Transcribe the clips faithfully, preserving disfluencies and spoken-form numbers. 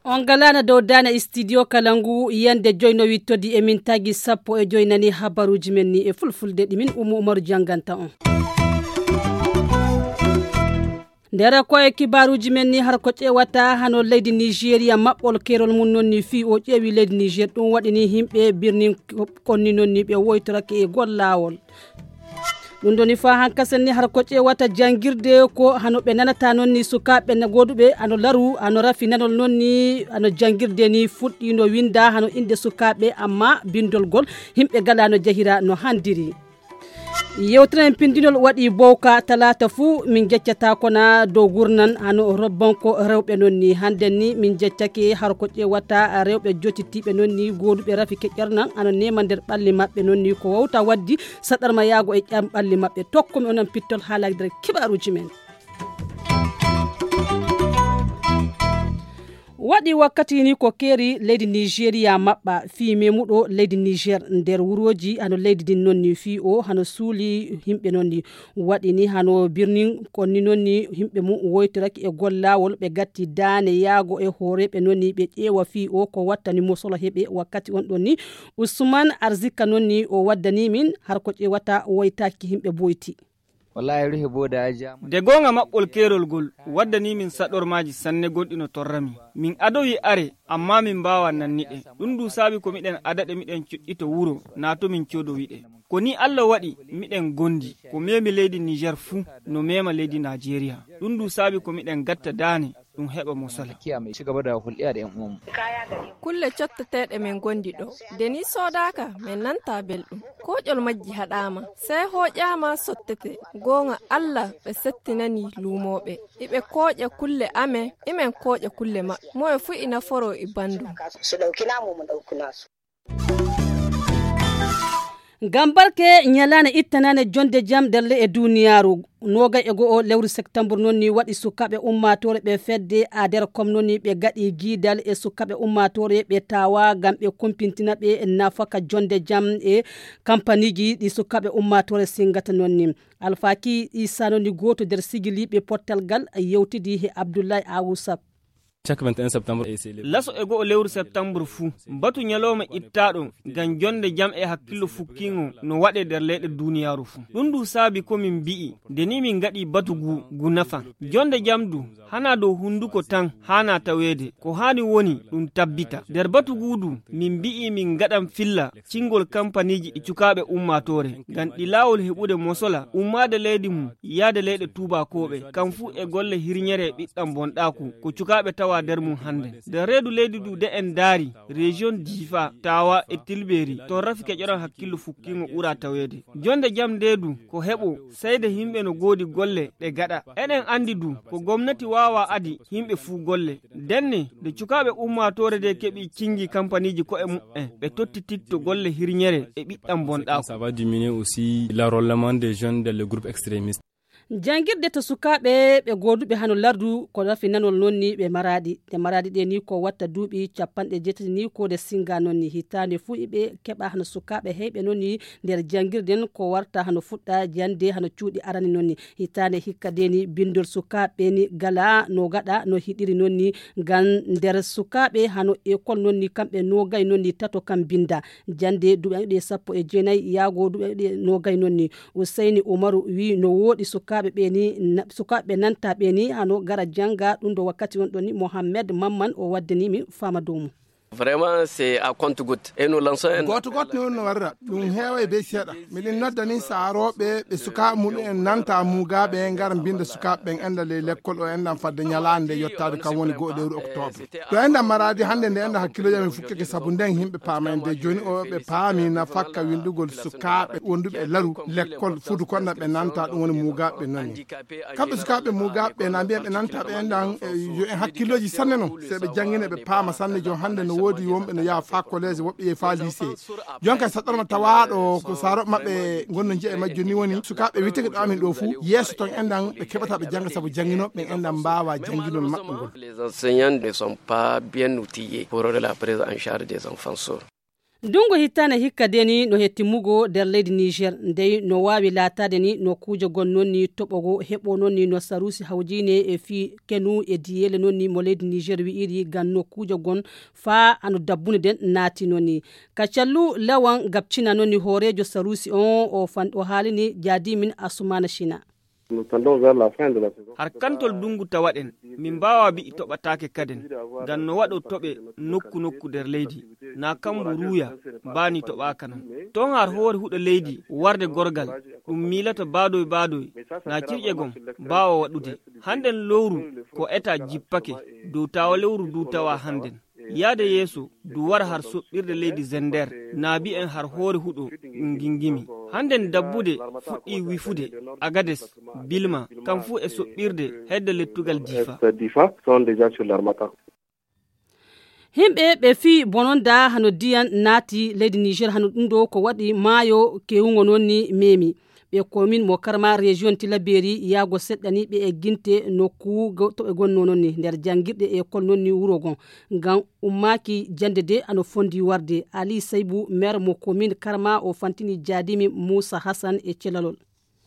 On ngalaana dow daane studio kala ngu yande joy no wittodi e min tagi sappo e joy nani habaruuji men ni e fulfulde ɗi min Umu Umaru jannganta on. Nder ko e kibaaruuji men ni har ko ƴeewata hano leydi Nigeria maɓɓol keerol mum noon ni fii o ƴeewi leydi Niger ɗum waɗi ni yimɓe birnin konni noon ni ɓe woytorake e gol laawol. Ɗum ɗoni fa hankasen ni har ko ƴeewata janngirde ko hano ɓe nanata noon ni sukaaɓe na gooduɓe ano laru ano rafi nanol noon ni ano janngirde ni fuɗɗi no winnda hano innde sukaaɓe amma binndol gol yimɓe gala no jahira no handiri. Yewtere en pinndinol waɗi bowka talaata fuu min jeccata kona dow gurnan hano robbanko rewɓe noon ni hannden ni min jeccake har ko ƴeewata rewɓe jottitiiɓe noon ni gooduɓe rafi keƴƴernan ano neema nder ɓalli maɓɓe noon ni ko wawta waddi saɗarma yaago e ƴam ɓalli maɓɓe tokkumi onon pittol haalaji nder kibaaruuji men. Waɗi wakkati ni ko keeri leydi Nigeria maɓɓa fii memuɗo leydi Niger nder wurooji hano leydi din noon ni fii o hano suuli yimɓe noon ni waɗi ni hano birnin konni noon ni yimɓe mum woytoraki e gollaawol ɓe gatti daane yaago e hooreeɓe noon ni ɓe ƴeewa fii o ko wattani mo solo heɓe wakkati on ɗon ni Usman Arzika noon ni o waddani min har ko ƴeewata woytaaki yimɓe boyti. Wallahi ruhi boda ya ja mu. De goonga maɓɓol keerol ngol waddanii min saɗormaaji sanne gonɗi no torra min. Min adowi are, amma min mbaawaa nanni ɗe. Ɗum du saabi ko miɗen ada ɗe miɗen cuɗɗito wuro, naa to min coodowi ɗe. Ko nii Allah waɗi miɗen gondi, ko meemi leydi Niger fuu no meema leydi Najeriya. Ɗum du saabi ko miɗen gatta daane ɗum heɓa mo sala. Kiya mai ci gaba da hulɗiya da 'yan uwanmu. Kulle cotteteeɗe men ngondi ɗo. De ni soodaaka, men nanta belɗum. Kooƴol majji haɗaama. Sey hooƴaama sottete. Gooŋa Allah ɓe settinani luumooɓe. Iɓe kooƴa kulle amen, imen kooƴa kulle maɓɓe. Moye fuu ina foroo e banndum. Su ɗauki namu mu ɗauki nasu. Ngam barke nyalaane ittanaane jonde jam nder le'e duniyaaru. Noogay e go'o lewru septembre noon ni waɗi sukaaɓe ummaatoore ɓe fedde ader kom noon ni ɓe gaɗi giidal e sukaaɓe ummaatoore ɓe tawa ngam ɓe kumpintina ɓe nafaka jonde jam e kampaniiji ɗi sukaaɓe ummaatoore singata noon ni. Alfaki Isa noon ni gooto nder sigiliiɓe pottal ngal yewtidi he Abdullahi Awusa. Chaque vingt et un septembre, et c'est le laso e go'o lewru septembre fuu, batu nyalooma ittaaɗo ngam jonde jam e hakkillo fukkiŋo no waɗe nder leyɗe duniyaaru fuu. Ɗum du saabi ko min mbi'i, nde ni min ngaɗi batu ngu, ngu nafa. Jonde jam du, hanaa dow hunduko tan haanaa taweede, ko haani woni ɗum tabbita. Nder batu ngu du, min mbi'i min ngaɗan filla cingol kampaniiji ɗi cukaaɓe ummaatoore, ngam ɗi laawol heɓude mosola, ummaade leydi mum, yaade leyɗe tuubaakooɓe, kam fuu e golle hirnyere e ɓiɗɗam bonɗaaku, ko cukaaɓe tawa nder mum hannde. Nder reedu leydi du de en ndaari, région Difa, Tawa e Tilberi, toon rafi keƴoran hakkillo fukkiingo ɓura taweede. Jonde jam nde du, ko heɓo, sey nde yimɓe no ngoodi golle ɗe gaɗa. Eɗen anndi du, ko gomnati waawaa adi yimɓe fuu golle. Ndenne, nde cukaaɓe ummaatoore nde keɓi cinngi kampaniiji ko'e muɓɓen, ɓe tottititto golle hirnyere e ɓiɗɗam bonɗaaku. Ça va diminuer aussi l'enrôlement des jeunes dans les groupes extrémistes. Janngirde to sukaaɓe ɓe gooduɓe hano lardu ko rafi nanol noon ni ɓe maraɗi. Ɗe maraɗi ɗe ni ko watta duuɓi capanɗe jeetati ni ko nde singa noon ni. Hitaande fuu iɓe keɓa hano sukaaɓe heyɓe noon ni nder janngirden ko warta hano fuɗɗa jannde hano cuuɗi arani noon ni. Hitaande hikka de ni binndol sukaaɓe ni gala no gaɗa no hiɗiri noon ni ngam nder sukaaɓe hano ekol noon ni kamɓe noogay noon ni tato kam binnda. Jannde duuɓi ɗe sappo e jeenayi yaago duuɓi ɗe noogay noon ni. Useyni Umaru wi no wooɗi sukaaɓe ɓe ni, na-, sukaaɓe nanta ɓe ni hano gara jannga ɗum ɗo wakkati on ɗon ni Mohammed Mamman o waddani mi faama dow mum. Vraiment, c'est à compte-goutte. Et nous lançons un gooto gooto ni on no warra. Ɗum heeway be seeɗa. Miɗen noddani saarooɓe ɓe sukaaɓe muɗum en nanta mugaaɓe en ngara mbinda sukaaɓe ɓen enda ley lekkol o enɗan fadde ñalaande nde yottaade kam woni go'o lewru octobre. To enɗan maraadi hannde nde enɗan hakkilooji amen fukkeke sabu nden yimɓe paama en de jooni o ɓe paami nafakka winndugol sukaaɓe wonduɓe e laru lekkol fudu konna ɓe nanta ɗum woni mugaaɓe ɓe nani. Kamɓe sukaaɓe mugaaɓe ɓe na mbiya ɓe nanta ɓe enɗan, eh, yo en hakkilooji sanne non. Se ɓe janngine ɓe paama sanne jon hannde no woodi wonɓe no yaha faa collège woɓɓe yehi faa lycée. Jonka saɗɗorma tawaaɗo ko saaro maɓɓe ngonno njiya e majjo ni woni sukaaɓe witeke ɗo amin ɗo fuu yeeso ton enɗan ɓe keɓata ɓe jannga sabu jannginooɓe ɓen enɗan mbaawa jannginol maɓɓe ngol. Les enseignants ne sont pas bien outillés pour la prise en charge des enfants sourds. Ndungu hittane hikka deni no he timmugo nder leydi Niger, ndey no waawi laataade ni no kuuje gon noon ni toɓogo heɓo noon ni no saruusi hawjiine e fii kenu e diyeele noon ni mo leydi Niger wi'iri ngam no kuuje gon faa ano dabbunde nden naati noon ni. Ka callu lawan gabcina noon ni hooreejo saruusi on o fan-, o haalini jaadimin Asumana Shina. Har kantol dungu tawaɗen, min mbaawa bi'i toɓataake kaden, ngam no waɗo toɓe nokku nokku nder leydi, na kambu ruuya, baani toɓaaka non. Ton har hoore huɗo leydi warde gorgal, ɗum miilata baadoy baadoy, na cirƴe gon mbaawa waɗude. Hannden lowru ko eta jippake, dow tawa lewru du tawa hannden. Yaade yeeso, du wara har soɓɓirde leydi Zender, na bi'en har hoore huɗo ɗum gingimi. Hannden dabbude fuɗɗi wifude, Agades, Bilma, kam fuu e soɓɓirde hedde lettugal Difa. Difa sont déjà sur l'Armatan. Himɓe ɓe fii bononda hano diyan naati leydi Niger, hano ɗum ɗo ko waɗi maayo kewungo noon ni memi. Ɓe komin mo Karma région Tilaberi yaago seɗɗa ni ɓe egginte nokku go-, to ɓe gonno noon ni nder janngirɗe e école noon ni wuro gon. Ngam ummaaki jannde de ano fondi warde. Ali Saybu, maire mo komin Karma, o fantini jaadimi Moussa Hassan e celalol.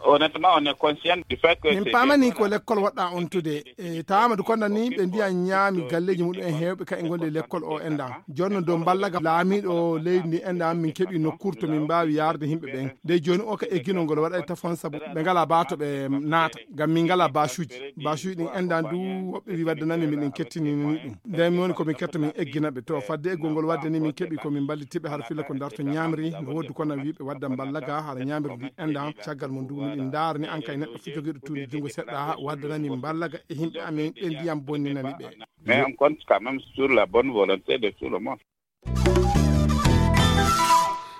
Honnêtement, on est conscient du fait que min c'est pamani des ko lekkol waɗɗa on tude. E tawama du konda ni ɓe mbiya ñaami galleji muɗum en hewɓe ka e golle lekkol o enda. Jonno dow mballaga laamiɗo leydi ndi enda min keɓi nokkur to min mbawi yarde himɓe ɓen. Nde joni o ka egginol ngol waɗa e tafon sabu ɓe ngala ba to ɓe naata. Ngam min ngala basuji. Basuji ɗin enda du woɓɓe wi waddanami min ɗin kettinini ɗum. Nden mi woni ko min ketta min eggina ɓe. To fadde eggol ngol wadde ni min keɓi ko min mballitiɓe har filla ko darto ñamri. No woddu kono wiɓe wadda mballaga har ñamri ndi enda. Caggal mum du min ndaara ni an kay neɗɗo fu jogiiɗo tuundi junngo seɗɗa waddanani mballaga e yimɓe amin ɓe ndiyam bonninani ɓe. Mais on compte quand même sur la bonne volonté de tout le monde.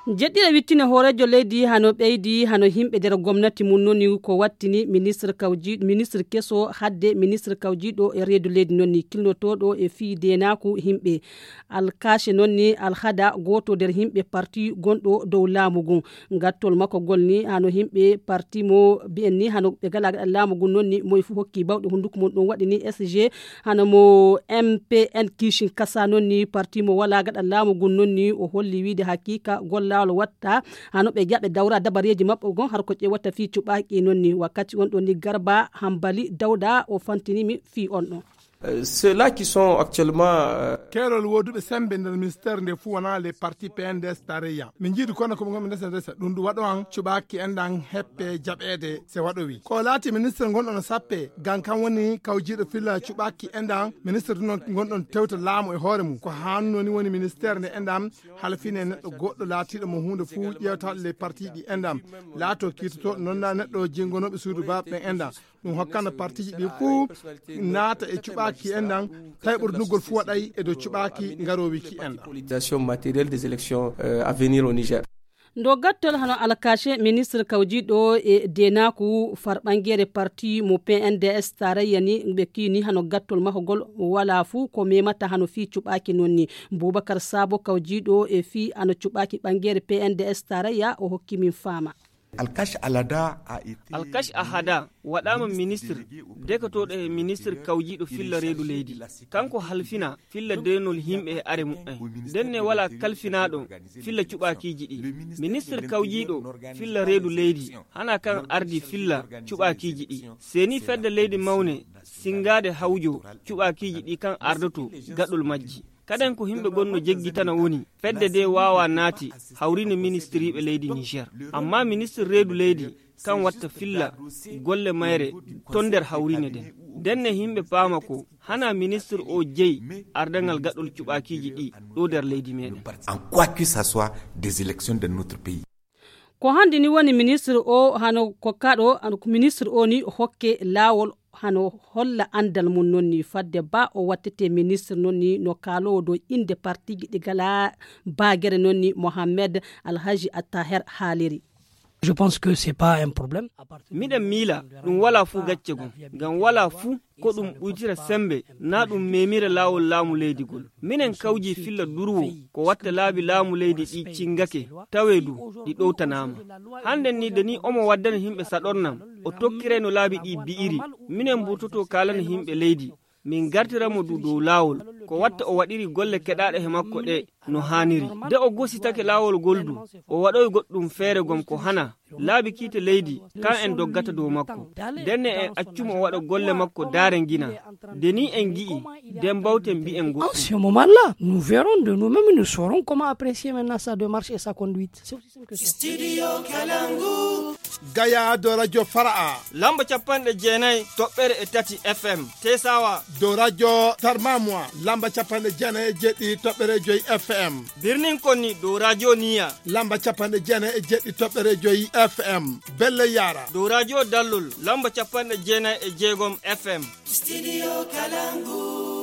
Jeɗɗiɗo wittine hooreejo leydi hano ɓeydi hano yimɓe nder gomnati mum noni ko wattini ministre kawji-, ministre keso hadde ministre kawjiiɗo e reedu leydi noni kilnotooɗo e fii deenaaku yimɓe. Alkache noon ni alhada gooto nder yimɓe parti gonɗo dow laamu ngun. Gattol makko ngol ni hano yimɓe parti mo mbi'en ni hano ɓe ngala gaɗa laamu ngun noon ni moye fof hokki bawɗe hunnduko mum. Ɗum waɗi ni S G hano mo M P N Kishin Kasa noon ni parti mo wala gaɗa laamu ngun noon ni o holli wiide haqiqa gollawol watta hano ɓe jaɓe dawra dabareeji maɓɓe gon har ko ƴewata fii cuɓaaki noon ni. Wakkati on ɗon ni Garba Hambali Dawda o fantini mi fii on ɗon. Euh, ceux-là qui sont actuellement, euh, Keerol wooduɓe sembe nder ministère nde fuu wonaa les partis P N D S tarayya. Min njiidi kono ko ɓe ngonɓe ndesa ndesa. Ɗum ɗum waɗo an cuɓaaki enɗan heppe jaɓeede se waɗo wi. Ko laati ministre ngonɗo no sappe, gan kan woni kawjiiɗo filla cuɓaaki enɗan, ministre ɗum non ngonɗon tewta laamu e hoore mum. Ko hanno ni woni ministère nde enɗan halfine neɗɗo goɗɗo laatiiɗo mo huunde fuu ƴeewtaɗo les partis ɗi enɗan. Laato kiitotooɗo non na neɗɗo jingonooɓe suudu baaɓe ɓen enɗan. Ɗum hokkana partiji ɗi fuu naata e cuɓaaki enɗan, tawi ɓurdugol fuu waɗay e dow cuɓaaki ngaroowi ki enɗan. Politisation matérielle des élections, euh, à venir au Niger. Ndo gattol hano alkache ministre kawjiɗo e denaku farɓangere parti mo P N D S tarayya ni ɓe kini hano gattol mahogol wala fuu ko memata hano fii cuɓaaki non ni. Boubacar Sabo kawjiɗo e fii hano cuɓaaki ɓangere P N D S tarayya o hokki min faama. Alkash Alada a été Alkash Ahada waɗaama ministre dekotooɗo e ministre kawjiiɗo filla reedu leydi. Kanko halfina filla deenol yimɓe e are muɓɓen. Ndenne walaa kalfinaaɗo filla cuɓaakiiji ɗi. Ministre kawjiiɗo filla reedu leydi hana kan ardi filla cuɓaakiiji ɗi. Seni fedde leydi mawne singaade hawjo cuɓaakiiji ɗi kan ardoto gaɗol majji. Kaden ko yimɓe gonno jeggitana woni fedde de waawa naati hawrine ministiriiɓe leydi Niger. Amma ministre reedu leydi kan watta filla golle mayre ton nder hawrine den. Ndenne yimɓe paama ko hana ministre o jeyi ardangal gaɗol cuɓaakiiji ɗi ɗo nder leydi meɗen. En quoi que ça soit des élections de notre pays. Ko hannde ni woni ministre o hano kokkaɗo, an-, ministre o ni hokke laawol hano holla anndal mum non ni fadde ba o wattete ministre non ni no kaalowo dow innde partiji ɗi gala baagere non ni Mohamed Alhaji Attaher haaliri. Je pense que c'est pas un problème. Miɗen miila ɗum wala fuu gacce gum, ngam wala fuu ko ɗum ɓuytira sembe, naa ɗum memira laawol laamu leydi gol. Minen kawji filla durwo ko watta laabi laamu leydi ɗi cingake, tawee du ɗi ɗowtanaama. Hannden ni de ni omo waddana yimɓe saɗornam, o tokkirayno laabi ɗi bi'iri. Minen mburtoto kaalana yimɓe leydi, min gartira mo du dow laawol, ko watta o waɗiri golle keɗaaɗe he makko ɗe no haaniri. De o gositake laawol ngol du, o waɗoy goɗɗum feere gom ko hana laabi kiite leydi, kan en doggata dow makko. Ndenne en accumo o waɗa golle makko daare ngina. De ni en gi'i, den bawten mbi'en goɗɗum. En ce moment-là, nous verrons de nous-mêmes, nous saurons comment apprécier maintenant sa démarche et sa conduite. C'est aussi simple que ça. Studio Kalangu. Gaya do radio Fara'a. Lamba capanɗe jeenayi toɓɓere e tati F M. Tesawa. Do radio Tarmamwa. Lamba capanɗe jeenayi e jeɗɗi toɓɓere joyi F M. Birnin Konni do radio Niya. Lamba capanɗe jeenayi e jeɗɗi toɓɓere joyi F M. Belle Yara. Do radio Dallol. Lamba capanɗe jeenayi e jeegom F M. Studio Kalangu.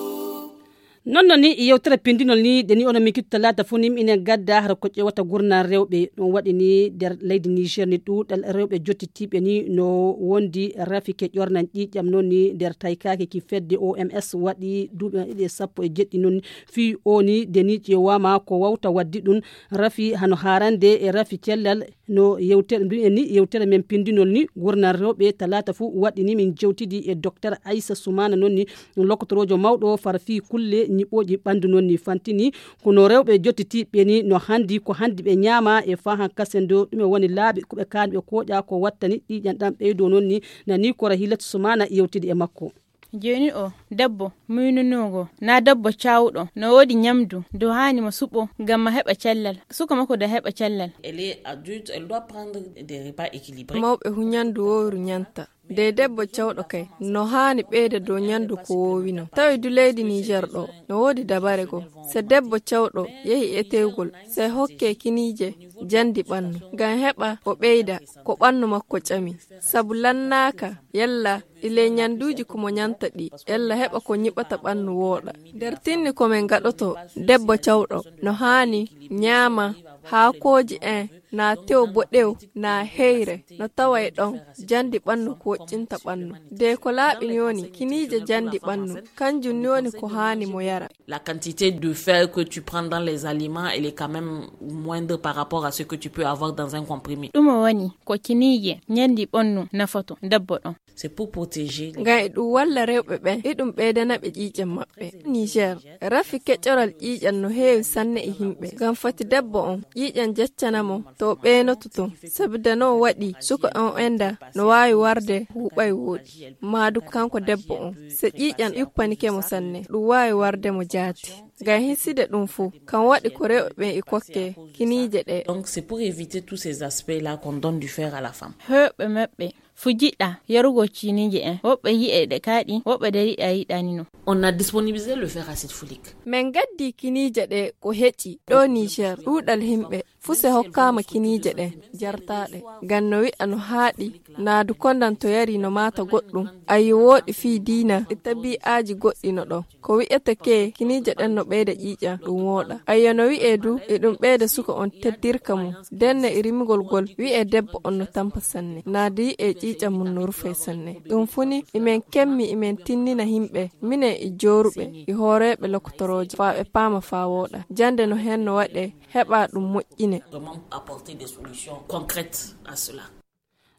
Non non ni yewtere pindinol ni de ni ono min kittu talaata fuu ni minen gadda hara ko ƴewata gurnal rewɓe. Ɗum waɗi ni nder leydi Niger ni ɗuuɗal rewɓe jottitiiɓe ni no wondi rafi ke ƴornan ƴiiƴam noon ni nder taykaake ki fedde O M S waɗi duuɓi ɗiɗi e sappo e jeɗɗi noon. Fii o ni de ni ƴeewaama ko wawta waddi ɗum rafi hano haarande e rafi cellal. No yewtere mbiyen ni yewtere men pindinol ni gurnal rewɓe talaata fuu waɗi ni min jewtidi e docteur Aissa Soumana noon ni lokotoroojo mawɗo fara fii kulle ñiɓooji ɓanndu noon ni fantini kono rewɓe jottitiiɓe ni no hanndi ko hanndi ɓe ñaama e fahan kasen do ɗume woni laaɓi ko ɓe kaani ɓe kooƴa ko wattani ƴiiƴan ɗan ɓeydo noon ni nani kora Hilatu Soumana yewtidi e makko. Jooni o debbo muynunoogo na debbo cawɗo no woodi ñamdu do haani mo suɓo ngam ma heɓa cellal suka makko da heɓa cellal. Elle est adulte, elle doit prendre des repas équilibrés. Mawɓe hu ñandu wowru ñanta de debbo cawɗo kay no haani ɓeyda dow ñandu ko wowino tawi du leydi Niger ɗo no woodi dabare goo. So debbo cawɗo yehi etewgol sey hokke kiniije jandi ɓannu ngam heɓa o ɓeyda ko ɓannu makko ƴami sabu lannaaka yalla ɗi ley ñanduuji ko mo ñanta ɗi yalla heɓa ko ñiɓata ɓannu wooɗa. Nder tinni ko min ngaɗoto debbo cawɗo no haani ñaama haakooji en na tew boɗew na heyre no tawa e ɗon jandi ɓannu ko woƴƴinta ɓannu de ko laaɓi ni woni kiniije jandi ɓannu kanjum ni woni ko haani mo yara. La quantité de fer que tu prends dans les aliments, elle est quand même moindre par rapport à ce que tu peux avoir dans un comprimé. Ɗum o woni ko kiniije ñandi ɓannu nafoto debbo ɗon. C'est pour protéger les ngam e ɗum walla rewɓe ɓen e ɗum ɓeydana ɓe ƴiiƴan maɓɓe. Niger rafi keƴoral ƴiiƴan no heewi sanne e yimɓe ngam fati debbo on ƴiiƴan jeccana mo to o ɓeynoto ton. Sabu da no waɗi suka on enda no waawi warde huuɓay wooɗi maadu kanko debbo on so ƴiiƴan ƴuppanike mo sanne ɗum waawi warde mo jaati. Ngam hiside ɗum fof kan waɗi ko rewɓe ɓen e kokke kiniije ɗe. Donc c'est pour éviter tous ces aspects là qu'on donne du fer à la femme. Heewɓe maɓɓe fu jiɗɗa yarugo ciiniije en woɓɓe yi'e ɗe kaaɗi woɓɓe de yiɗa yiɗanino. On a disponibilisé le fer acide folique. Min gaddi kiniije ɗe ko heƴi ɗo Niger ɗuuɗal yimɓe fuse hokkaama kiniije ɗe jartaaɗe ngam no wi'a no haaɗi naadu kondan to yari no maata goɗɗum. Ayyo wooɗi fii diina e tabi'aaji goɗɗi no ɗon ko wi'ete ke kiniije ɗen no ɓeyda ƴiiƴan ɗum wooɗa. Ayyo no wi'e du e ɗum ɓeyda suka on teddirka mum denne e rimugol gol wi'e debbo on no tampa sanne naadu yi'e ƴiiƴan mum no rufay sanne. Ɗum funi imen kemmi imen tinnina yimɓe minen e jooruɓe e hooreeɓe lokotorooje faa ɓe paama faa wooɗa jannde no heen no waɗee heɓa ɗum moƴƴine. Vraiment apporter des solutions concrètes à cela.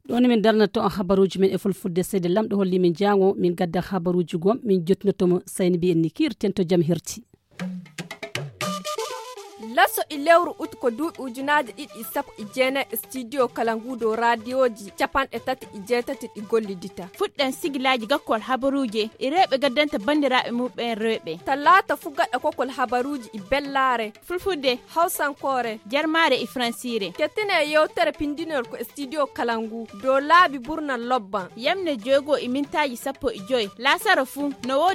Ɗo ni min darnata on habaruuji men e fulfulde seede lamɗo holli min jaango min gadda habaruuji gom min jottinoto mo sayni mbiyen ni kiirten to jam herti. Laso e lewru ut ko duuɓi ujunaaji ɗiɗi e sappo e jeenayi e studio kala ngu dow raadiyoji capanɗe tati e jeetati ɗi gollidita. Fuɗɗen sigilaaji gakkol habaruuje e rewɓe gaddanta banndiraaɓe muɓɓen rewɓe. Talaata fu gaɗa kokol habaruuji e bellaare. Fulfulde, hawsankoore, jarmaare e fransiire. Kettine e yewtere pindinol ko e studio kala ngu dow laabi burnal lobban. Yamne joygo e mintaaji sappo e joy laasara fu no woodi.